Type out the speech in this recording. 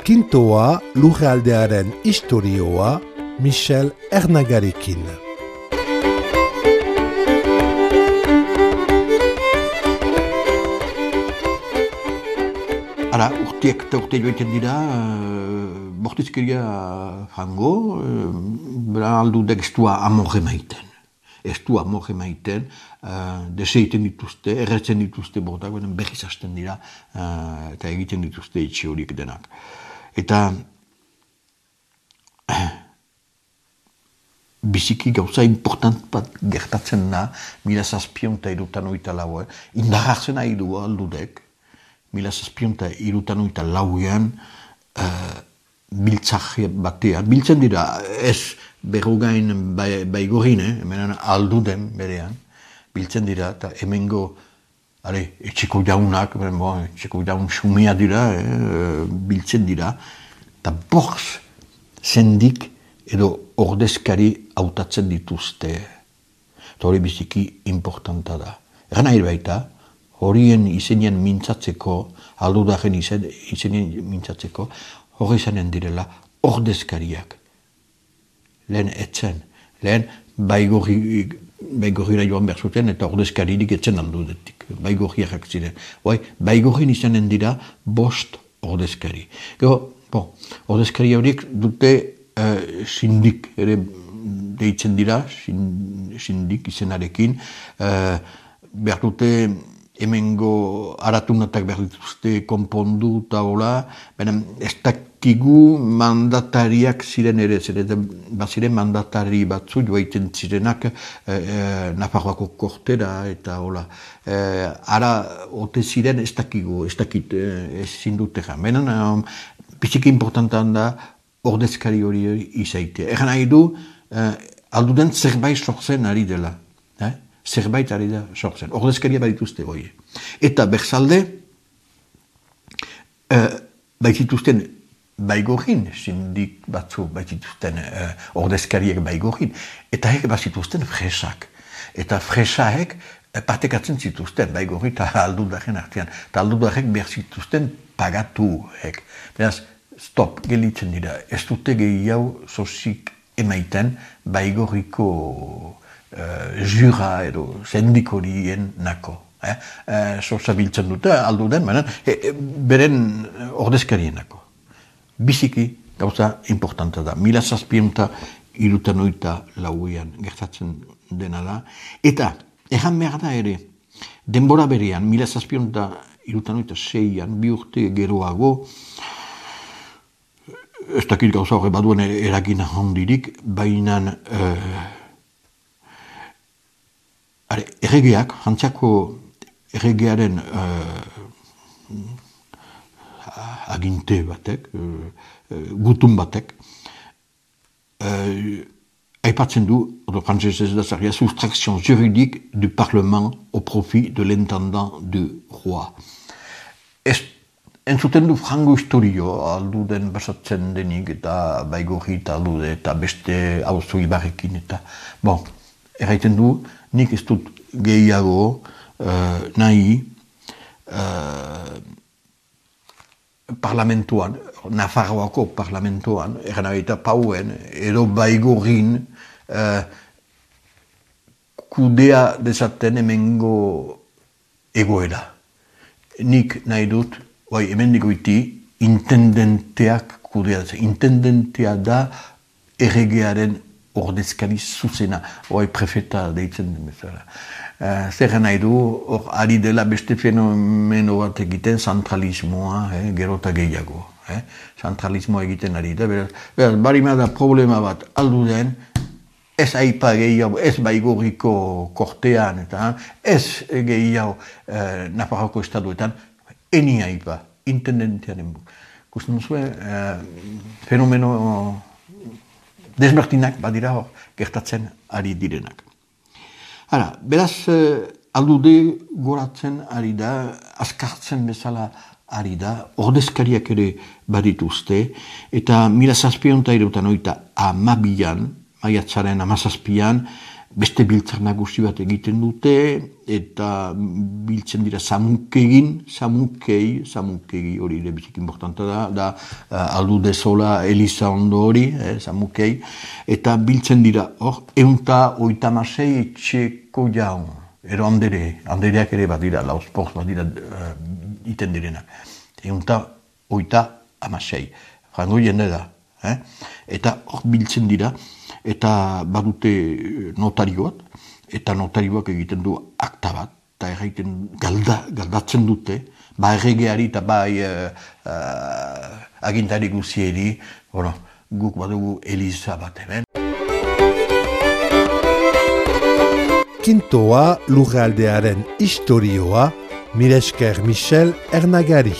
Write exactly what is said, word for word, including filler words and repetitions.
Kintoa lurraldearen istorioa Michel Ernagarekin. Hala, urteak eta urte joiten dira, uh, bortizkeria jango, uh, bera aldu dek ez du amore maiten. Ez du amore maiten, uh, deseiten dituzte, erretzen dituzte bortak, benen berriz hasten dira, uh, eta egiten dituzte etxe horiek denak. Eta biziki gauza important bat gertatzen da, mila zazpion eta irutan oita lau, eh? Indarratzen nahi du aldudek, mila zazpion eta irutan oita lauean, uh, biltzak batean, biltzen dira, ez berrogain bai, baigorin, eh? Hemen alduden berean, biltzen dira, eta hemengo Ale, etxeko jaunak, bon, etxeko jaun xumea dira, eh, biltzen dira, eta borz zendik edo ordezkari hautatzen dituzte. Eta hori biziki importanta da. Eran nahi baita, horien izenien mintzatzeko, aldudaren izen, izenien mintzatzeko, hori izanen direla ordezkariak. Lehen etzen, lehen baigorri, baigorrira joan behar zuten eta ordezkaririk etzen aldudetik. Baigorriak ziren. Bai, baigorrin izanen dira bost ordezkari. Gero, bon, ordezkari horiek dute uh, sindik ere deitzen dira, sindik izenarekin. Uh, behar dute hemengo aratunatak behar dituzte konpondu eta hola, benen ez dakigu mandatariak ziren ere, ziren, baziren mandatari batzu joaiten zirenak eh, eh, Nafarroako kortera eta hola. Eh, ara, ote ziren ez dakigu, ez dakit, eh, ez zindute jan. Benen, um, biziki importantan da ordezkari hori izaite. Egan nahi du, eh, alduden zerbait sortzen ari dela. Eh? Zerbait ari da sortzen. Ordezkaria badituzte hori. Eta berzalde, uh, baitituzten baigorrin, sindik batzu baitituzten uh, ordezkariek baigorrin, eta hek bazituzten fresak. Eta fresaek uh, partekatzen zituzten, baigorri eta aldudaren artean. Eta aldudarek behar zituzten pagatu hek. Beraz, stop, gelitzen dira. Ez dute gehiago sozik emaiten baigorriko Uh, jura edo sendikorien nako. Eh? Uh, Sorsa biltzen dute, aldu den, baina, e, e, beren ordezkarien nako. Biziki gauza importanta da. Mila zazpienta irutan oita lauean gertatzen dena da. Eta, erran behar da ere, denbora berean, mila zazpienta irutan oita seian, bi urte geroago, ez dakit gauza horre baduen eragin handirik, baina uh, Are, erregeak, Frantziako erregearen uh, aginte batek, uh, uh, gutun batek, uh, aipatzen du, odo frantzesez da zaria, soustraction juridique du Parlement au profit de l'intendant du roi. Ez, entzuten du frango historio, aldu den basatzen denik, eta baigorri eta aldude, eta beste auzo ibarrekin, eta, bon, erraiten du, nik ez dut gehiago uh, nahi uh, parlamentuan, Nafarroako parlamentuan, eran eta pauen, edo baigorrin uh, kudea dezaten hemengo egoera. Nik nahi dut, bai, hemen digoiti, intendenteak kudea. Intendentea da erregearen ordezkari zuzena, hoi prefeta deitzen den bezala. Uh, zer nahi du, hor ari dela beste fenomeno bat egiten, zentralismoa, eh, gerota gehiago. Eh? Zentralismoa egiten ari da, beraz, beraz, barima da problema bat aldu den, ez aipa gehiago, ez baigorriko kortean, eta ez gehiago uh, Nafarroko estatuetan, eni aipa, intendentearen bu. Kusten zuen, uh, fenomeno desbertinak badira hor gertatzen ari direnak. Hala, beraz, aldude goratzen ari da, azkartzen bezala ari da, ordezkariak ere badituzte, eta mila zazpion eta irutan oita amabian, maiatzaren amazazpian, beste biltzar nagusi bat egiten dute, eta biltzen dira samukegin, samukei, samukegi hori ere bizik importanta da, da uh, aldu dezola Eliza ondo hori, eh, samukei, eta biltzen dira hor, eunta oitamasei etxeko jaun, ero handere, handereak ere bat dira, lausport bat dira uh, iten direnak, eunta oita amasei, frango jende da, eh? Eta hor biltzen dira, eta badute notarioak, eta notarioak egiten du akta bat, eta erraiten galda, galdatzen dute, ba erregeari eta bai uh, uh, agintari guzieri, bueno, guk badugu Eliza bat hemen. Kintoa lurraldearen historioa, mila esker Michel Ernagari.